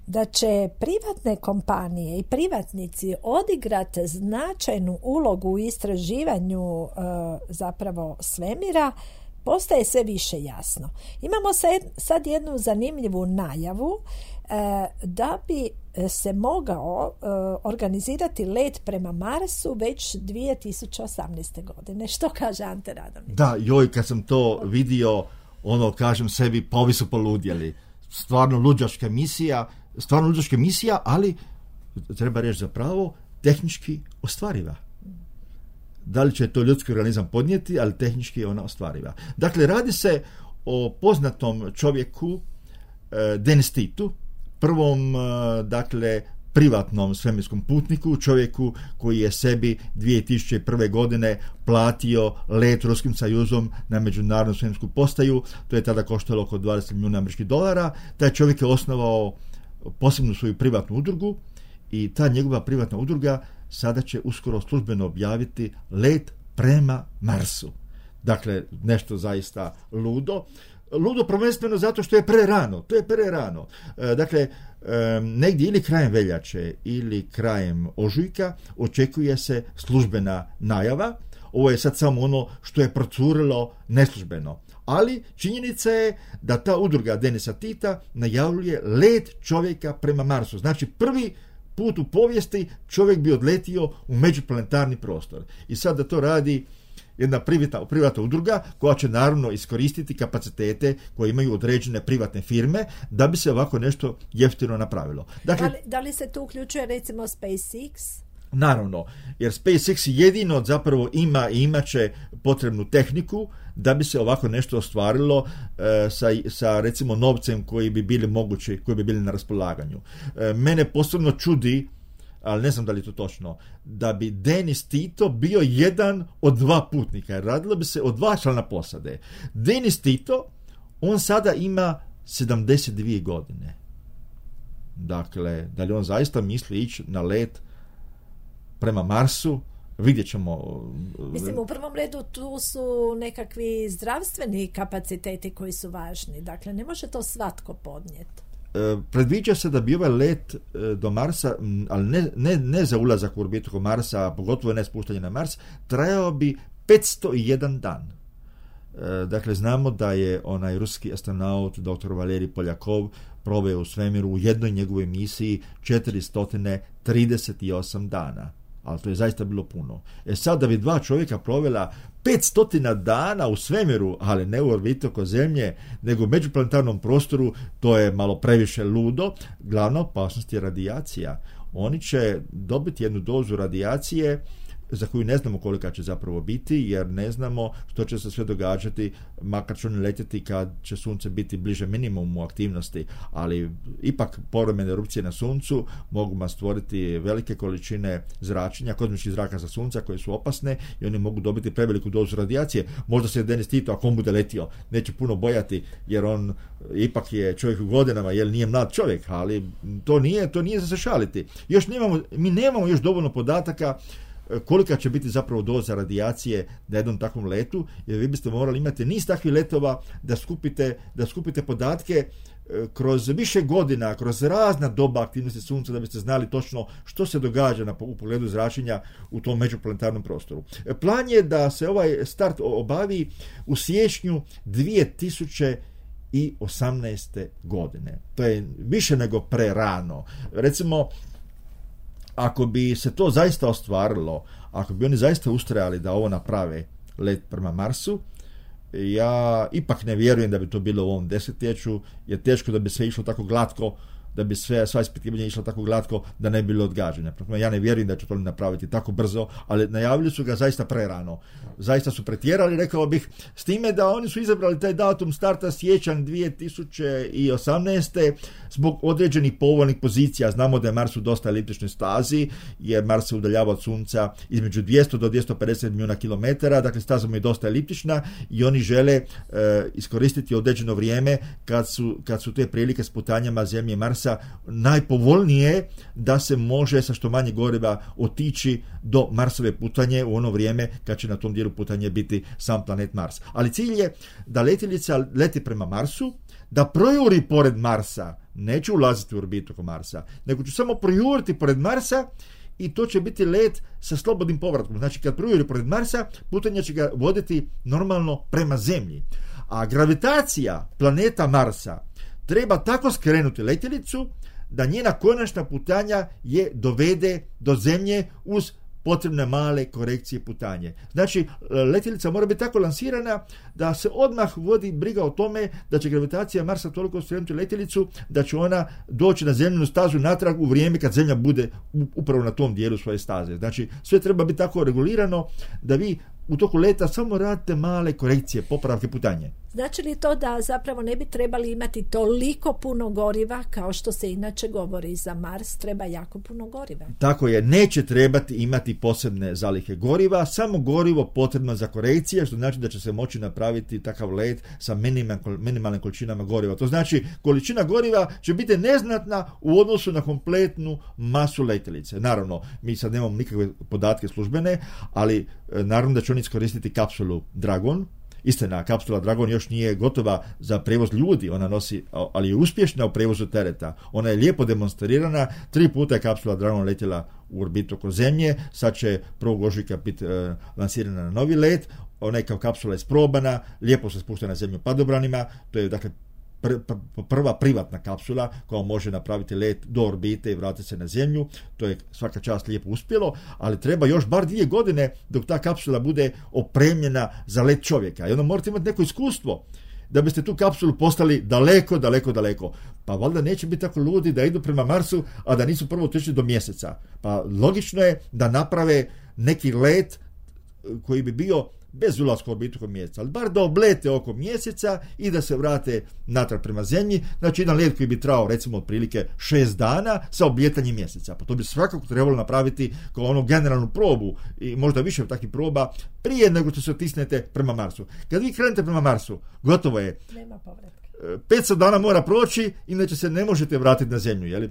Da će privatne kompanije i privatnici odigrati značajnu ulogu u istraživanju e, zapravo svemira, postaje sve više jasno. Imamo sad jednu zanimljivu najavu e, da bi se mogao e, organizirati let prema Marsu već dvije tisuće osamnaeste. godine. Što kaže Ante Radomić? Da, joj, kad sam to vidio, ono, kažem sebi, pa ovi su poludjeli. Stvarno luđačka misija, stvarno luđačka misija, ali treba reći zapravo tehnički ostvariva. Da li će to ljudski organizam podnijeti, ali tehnički je ona ostvariva. Dakle, radi se o poznatom čovjeku eh, Denis Titu, prvom, eh, dakle, privatnom svemirskom putniku, čovjeku koji je sebi dvije tisuće prve. godine platio let Ruskim Sajuzom na međunarodnu svemirsku postaju. To je tada koštalo oko dvadeset milijuna američkih dolara. Taj čovjek je osnovao posebnu svoju privatnu udrugu i ta njegova privatna udruga sada će uskoro službeno objaviti let prema Marsu. Dakle, nešto zaista ludo. ludo prvenstveno zato što je prerano. To je prerano. E, dakle, e, negdje ili krajem veljače ili krajem ožujka očekuje se službena najava. Ovo je sad samo ono što je procurilo neslužbeno. Ali činjenica je da ta udruga Denisa Tita najavljuje let čovjeka prema Marsu. Znači prvi put u povijesti čovjek bi odletio u međuplanetarni prostor. I sad da to radi jedna privatna, privatna udruga koja će naravno iskoristiti kapacitete koje imaju određene privatne firme da bi se ovako nešto jeftino napravilo. Dakle, da, li, da li se tu uključuje recimo SpaceX? Naravno, jer SpaceX jedino zapravo ima i imat će potrebnu tehniku da bi se ovako nešto ostvarilo e, sa, sa recimo novcem koji bi bili mogući, koji bi bili na raspolaganju. E, mene posebno čudi, ali ne znam da li je to točno, da bi Denis Tito bio jedan od dva putnika, jer radilo bi se o dva člana posade. Denis Tito, on sada ima sedamdeset dvije godine. Dakle, da li on zaista misli ići na let prema Marsu? Vidjet ćemo. Mislim, u prvom redu tu su nekakvi zdravstveni kapaciteti koji su važni. Dakle, ne može to svatko podnijeti. E, predviđa se da bi ovaj let e, do Marsa, ali ne, ne, ne za ulazak u orbitu oko Marsa, a pogotovo ne spuštanje na Mars, trajao bi petsto jedan dan. E, dakle, znamo da je onaj ruski astronaut doktor Valerij Poljakov proveo u svemiru u jednoj njegovoj misiji četiristo trideset osam dana. Ali to je zaista bilo puno. E sad da bi dva čovjeka provela petsto dana u svemiru, ali ne u orbitu oko Zemlje, nego u međuplanetarnom prostoru, to je malo previše ludo. Glavna opasnost je radijacija. Oni će dobiti jednu dozu radijacije za koju ne znamo kolika će zapravo biti, jer ne znamo što će se sve događati, makar će oni letjeti kad će sunce biti bliže minimumu aktivnosti, ali ipak povremene erupcije na suncu mogu stvoriti velike količine zračenja, kozmičkih zraka sa sunca koje su opasne i oni mogu dobiti preveliku dozu radijacije. Možda se Denis Tito, ako on bude letio, neće puno bojati, jer on ipak je čovjek u godinama, jer nije mlad čovjek, ali to nije, to nije za se šaliti. Još nemamo, mi nemamo još dovoljno podataka kolika će biti zapravo doza radijacije na jednom takvom letu, jer vi biste morali imati niz takvih letova da skupite, da skupite podatke kroz više godina, kroz razna doba aktivnosti sunca, da biste znali točno što se događa na, u pogledu zračenja u tom međuplanetarnom prostoru. Plan je da se ovaj start obavi u siječnju dvije tisuće osamnaeste godine. To je više nego prerano. Recimo, ako bi se to zaista ostvarilo, ako bi oni zaista ustrajali da ovo naprave, let prema Marsu, ja ipak ne vjerujem da bi to bilo u ovom desetljeću, jer teško da bi sve išlo tako glatko, da bi sve, sva ispitivanja išla tako glatko da ne bi bilo odgađanja. Ja ne vjerujem da će to napraviti tako brzo, ali najavili su ga zaista prerano. Zaista su pretjerali, rekao bih, s time da oni su izabrali taj datum starta siječanj dvije tisuće osamnaeste zbog određenih povoljnih pozicija. Znamo da je Mars u dosta eliptičnoj stazi, jer Mars se udaljava od Sunca između dvjesto do dvjesto pedeset milijuna kilometara, dakle staza mu je dosta eliptična i oni žele e, iskoristiti određeno vrijeme kad su, kad su te prilike s putanjama Zemlje i Marsa najpovoljnije da se može sa što manje goriva otići do Marsove putanje u ono vrijeme kad će na tom dijelu putanje biti sam planet Mars. Ali cilj je da letjelica leti prema Marsu, da projuri pored Marsa, neće ulaziti u orbitu oko Marsa, nego će samo projuriti pored Marsa i to će biti let sa slobodnim povratkom. Znači kad projuri pored Marsa, putanje će ga voditi normalno prema Zemlji. A gravitacija planeta Marsa treba tako skrenuti letjelicu da njena konačna putanja je dovede do Zemlje uz potrebne male korekcije putanje. Znači, letjelica mora biti tako lansirana da se odmah vodi briga o tome da će gravitacija Marsa toliko skrenuti letjelicu da će ona doći na zemljinu stazu natrag u vrijeme kad Zemlja bude upravo na tom dijelu svoje staze. Znači, sve treba biti tako regulirano da vi u toku leta samo radite male korekcije, popravke putanje. Znači li to da zapravo ne bi trebali imati toliko puno goriva kao što se inače govori za Mars, treba jako puno goriva? Tako je, neće trebati imati posebne zalihe goriva, samo gorivo potrebno za korekcije, što znači da će se moći napraviti takav let sa minimalnim količinama goriva. To znači količina goriva će biti neznatna u odnosu na kompletnu masu letjelice. Naravno, mi sad nemamo nikakve podatke službene, ali naravno da će oni iskoristiti kapsulu Dragon, Istina, kapsula Dragon još nije gotova za prevoz ljudi, ona nosi, ali je uspješna u prevozu tereta. Ona je lijepo demonstrirana, tri puta je kapsula Dragon letjela u orbitu oko Zemlje, sad će prvog ožujka biti e, lansirana na novi let, ona je kao kapsula isprobana, lijepo se spušta na Zemlju padobranima, to je dakle pr, pr, prva privatna kapsula koja može napraviti let do orbite i vratiti se na Zemlju, to je svaka čast lijepo uspjelo, ali treba još bar dvije godine dok ta kapsula bude opremljena za let čovjeka i onda morate imati neko iskustvo da biste tu kapsulu postali daleko, daleko, daleko. Pa valjda neće biti tako ludi da idu prema Marsu, a da nisu prvo otišli do mjeseca. Pa logično je da naprave neki let koji bi bio bez ulaska u orbitu oko mjeseca, ali bar da oblete oko mjeseca i da se vrate natrag prema Zemlji. Znači jedan let koji bi trajao recimo otprilike šest dana sa obljetanjem mjeseca. Pa to bi svakako trebalo napraviti kao onu generalnu probu i možda više takvih proba prije nego što se otisnete prema Marsu. Kad vi krenete prema Marsu, gotovo je. Nema povratka. petsto dana mora proći, inače se ne možete vratiti na Zemlju. Jeli?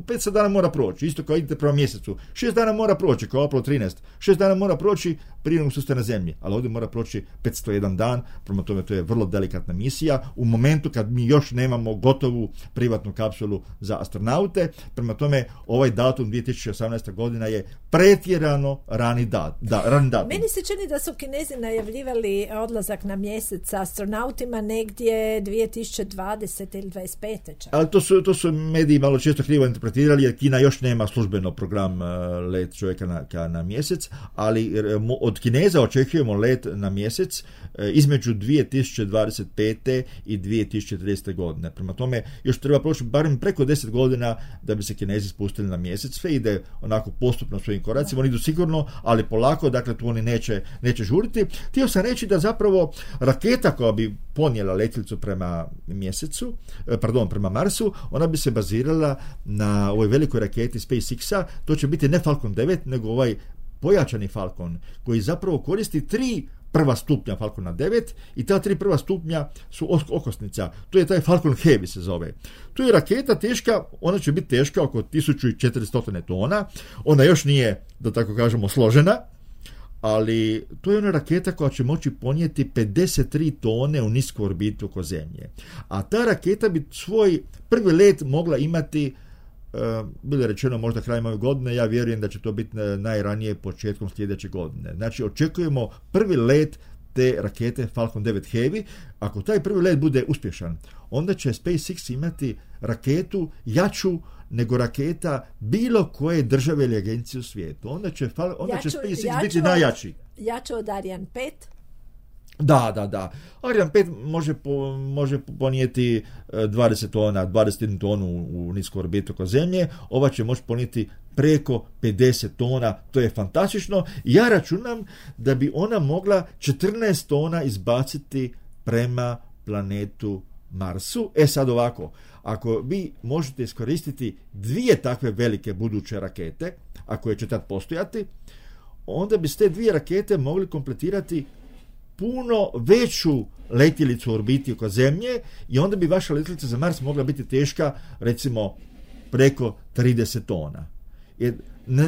petsto dana mora proći, isto kao idete prema mjesecu. šest dana mora proći, kao Apollo trinaest. šest dana mora proći prije nego što ste na Zemlji. Ali ovdje mora proći petsto jedan dan, prema tome to je vrlo delikatna misija. U momentu kad mi još nemamo gotovu privatnu kapsulu za astronaute, prema tome ovaj datum dvije tisuće osamnaesta godina je pretjerano rani, dat, da, rani datum. Meni se čini da su Kinezi najavljivali odlazak na mjesec sa astronautima negdje dvije tisuće dvadesete ili dvadeset pete čak. Ali to su, to su mediji malo često krivo interpretirali jer Kina još nema službeno program uh, let čovjeka na, ka, na mjesec, ali uh, od Kineza očekujemo let na mjesec uh, između dvije tisuće dvadeset pete i dvije tisuće tridesete godine. Prema tome još treba proći barem preko deset godina da bi se Kinezi spustili na mjesec. Sve ide onako postupno svojim koracima, oni idu sigurno, ali polako, dakle tu oni neće, neće žuriti. Htio sam reći da zapravo raketa koja bi ponijela letjelicu prema mjesecu, pardon, prema Marsu, ona bi se bazirala na ovoj velikoj raketi SpaceX-a, to će biti ne Falcon devet, nego ovaj pojačani Falcon, koji zapravo koristi tri prva stupnja Falcona devet i ta tri prva stupnja su okosnica. To je taj Falcon Heavy se zove. To je raketa teška, ona će biti teška oko tisuću četiristo tona, ona još nije, da tako kažemo, složena, ali to je ona raketa koja će moći ponijeti pedeset tri tone u nisku orbitu oko Zemlje. A ta raketa bi svoj prvi let mogla imati, uh, bilo je rečeno možda krajem ove godine, ja vjerujem da će to biti najranije početkom sljedeće godine. Znači očekujemo prvi let te rakete Falcon devet Heavy. Ako taj prvi let bude uspješan, onda će SpaceX imati raketu jaču nego raketa bilo koje države ili agencije u svijetu. Onda će, onda jaču, će SpaceX jaču, biti najjači. Jaču od Ariane pet? Da, da, da. Ariane pet može, po, može ponijeti dvadeset tona, dvadeset jednu tonu u, u nisku orbitu oko Zemlje. Ova će moći ponijeti preko pedeset tona. To je fantastično. Ja računam da bi ona mogla četrnaest tona izbaciti prema planetu Marsu. E sad ovako, ako vi možete iskoristiti dvije takve velike buduće rakete, a koje će tad postojati, onda bi te dvije rakete mogli kompletirati puno veću letjelicu u orbiti oko Zemlje i onda bi vaša letjelica za Mars mogla biti teška recimo preko trideset tona. Jer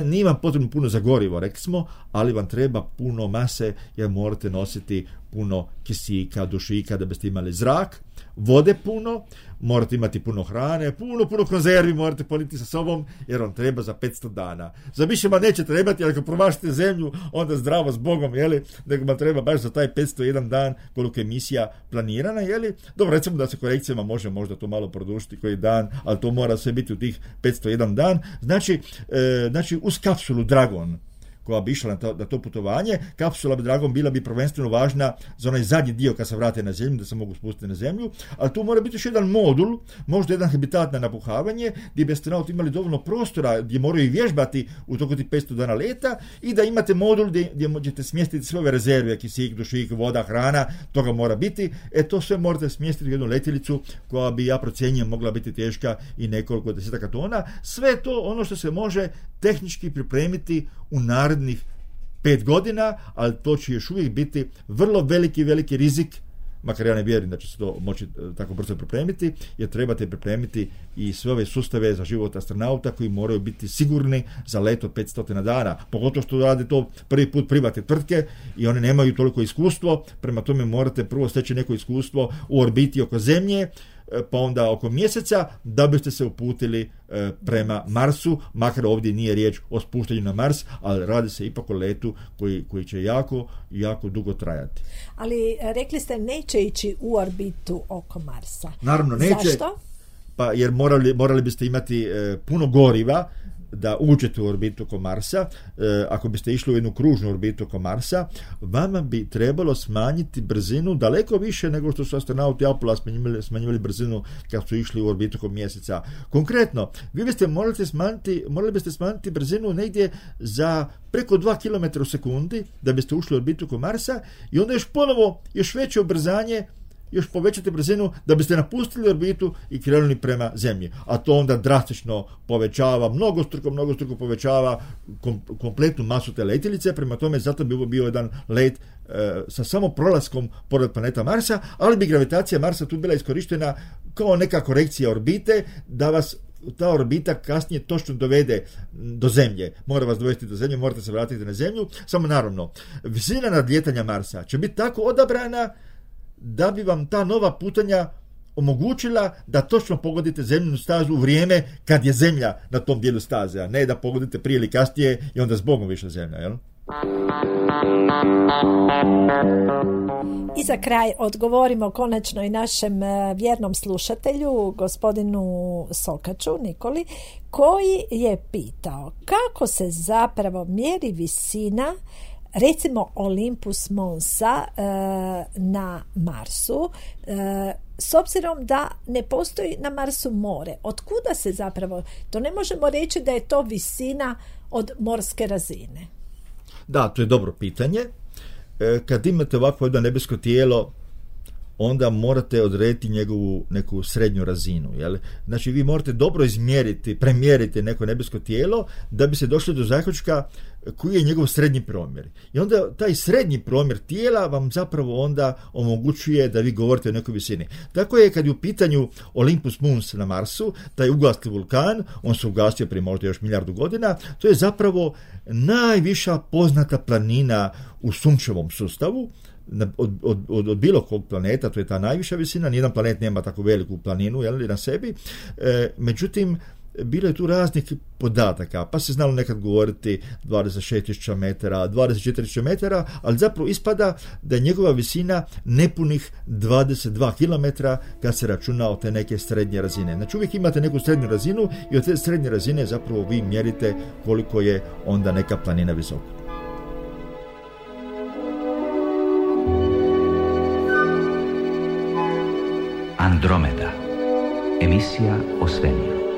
nije vam potrebno puno za gorivo, rekli smo, ali vam treba puno mase jer morate nositi puno kisika, dušika da biste imali zrak, vode puno, morate imati puno hrane, puno, puno konzervi morate poniti sa sobom jer vam treba za petsto dana. Za više vam neće trebati, ali ako promašite Zemlju, onda zdravo s Bogom, jeli, nego vam treba baš za taj petsto jedan dan koliko je misija planirana, jeli. Dobro, recimo da se korekcijama može možda to malo produžiti koji dan, ali to mora sve biti u tih petsto jedan dan. Znači, e, znači uz kapsulu Dragon koja bi išla na to, na to putovanje, kapsula bi Dragon bila bi prvenstveno važna za onaj zadnji dio kad se vrate na Zemlju, da se mogu spustiti na Zemlju, ali tu mora biti još jedan modul, možda jedan habitat na napuhavanje, gdje bi astronauti imali dovoljno prostora, gdje moraju vježbati u toku tih petsto dana leta i da imate modul gdje, gdje možete smjestiti sve ove rezerve, kisik, dušik, voda, hrana, toga mora biti. E to sve morate smjestiti u jednu letjelicu koja bi, ja procjenjujem, mogla biti teška i nekoliko desetaka tona. Sve to ono što se može tehnički pripremiti u narednih pet godina, ali to će još uvijek biti vrlo veliki, veliki rizik makar ja ne vjerujem da će se to moći tako brzo pripremiti, jer trebate pripremiti i sve ove sustave za život astronauta koji moraju biti sigurni za let od petsto dana, pogotovo što rade to prvi put privatne tvrtke i one nemaju toliko iskustvo, prema tome morate prvo steći neko iskustvo u orbiti oko Zemlje, pa onda oko mjeseca, da biste se uputili e, prema Marsu, makar ovdje nije riječ o spuštanju na Mars, ali radi se ipak o letu koji, koji će jako, jako dugo trajati. Ali rekli ste neće ići u orbitu oko Marsa. Naravno neće. Zašto? Pa jer morali, morali biste imati e, puno goriva da uđete u orbitu oko Marsa. E, ako biste išli u jednu kružnu orbitu oko Marsa, vama bi trebalo smanjiti brzinu daleko više nego što su astronauti Apollo smanjivali, smanjivali brzinu kad su išli u orbitu oko Mjeseca. Konkretno, vi biste morali smanjiti, morali biste smanjiti brzinu negdje za preko dva kilometra u sekundi da biste ušli u orbitu oko Marsa i onda još ponovo još veće ubrzanje, još povećate brzinu da biste napustili orbitu i krenuli prema Zemlji. A to onda drastično povećava, mnogostruko, mnogostruko povećava kom, kompletnu masu te letjelice, prema tome zato bi ovo bio jedan let e, sa samo prolaskom pored planeta Marsa, ali bi gravitacija Marsa tu bila iskorištena kao neka korekcija orbite, da vas ta orbita kasnije točno dovede do Zemlje. Mora vas dovesti do Zemlje, morate se vratiti na Zemlju. Samo naravno, visina nadlijetanja Marsa će biti tako odabrana da bi vam ta nova putanja omogućila da točno pogodite zemljinu stazu u vrijeme kad je Zemlja na tom dijelu staze, a ne da pogodite prije ili kasnije i onda zbogom više Zemlja, jel? I za kraj odgovorimo konačno i našem vjernom slušatelju, gospodinu Sokaču, Nikoli, koji je pitao kako se zapravo mjeri visina, recimo Olympus Monsa e, na Marsu, e, s obzirom da ne postoji na Marsu more. Otkuda se zapravo, to ne možemo reći da je to visina od morske razine. Da, to je dobro pitanje. E, kad imate ovakvo jedno nebesko tijelo, onda morate odrediti njegovu neku srednju razinu. Jel? Znači, vi morate dobro izmjeriti, premjeriti neko nebesko tijelo da bi se došli do zaključka koji je njegov srednji promjer. I onda taj srednji promjer tijela vam zapravo onda omogućuje da vi govorite o nekoj visini. Tako je kad je u pitanju Olympus Mons na Marsu, taj ugasli vulkan, on se ugasio prije možda još milijardu godina, to je zapravo najviša poznata planina u sunčevom sustavu, Od, od, od, od bilo kog planeta, to je ta najviša visina, nijedan planet nema tako veliku planinu, jel, na sebi, e, međutim, bilo je tu raznih podataka, pa se znalo nekad govoriti dvadeset šest tisuća metara, dvadeset četiri tisuće metara, ali zapravo ispada da je njegova visina nepunih dvadeset dva kilometra kad se računa od te neke srednje razine. Znači uvijek imate neku srednju razinu i od te srednje razine zapravo vi mjerite koliko je onda neka planina visoka. Andromeda. Emisija o svemiru.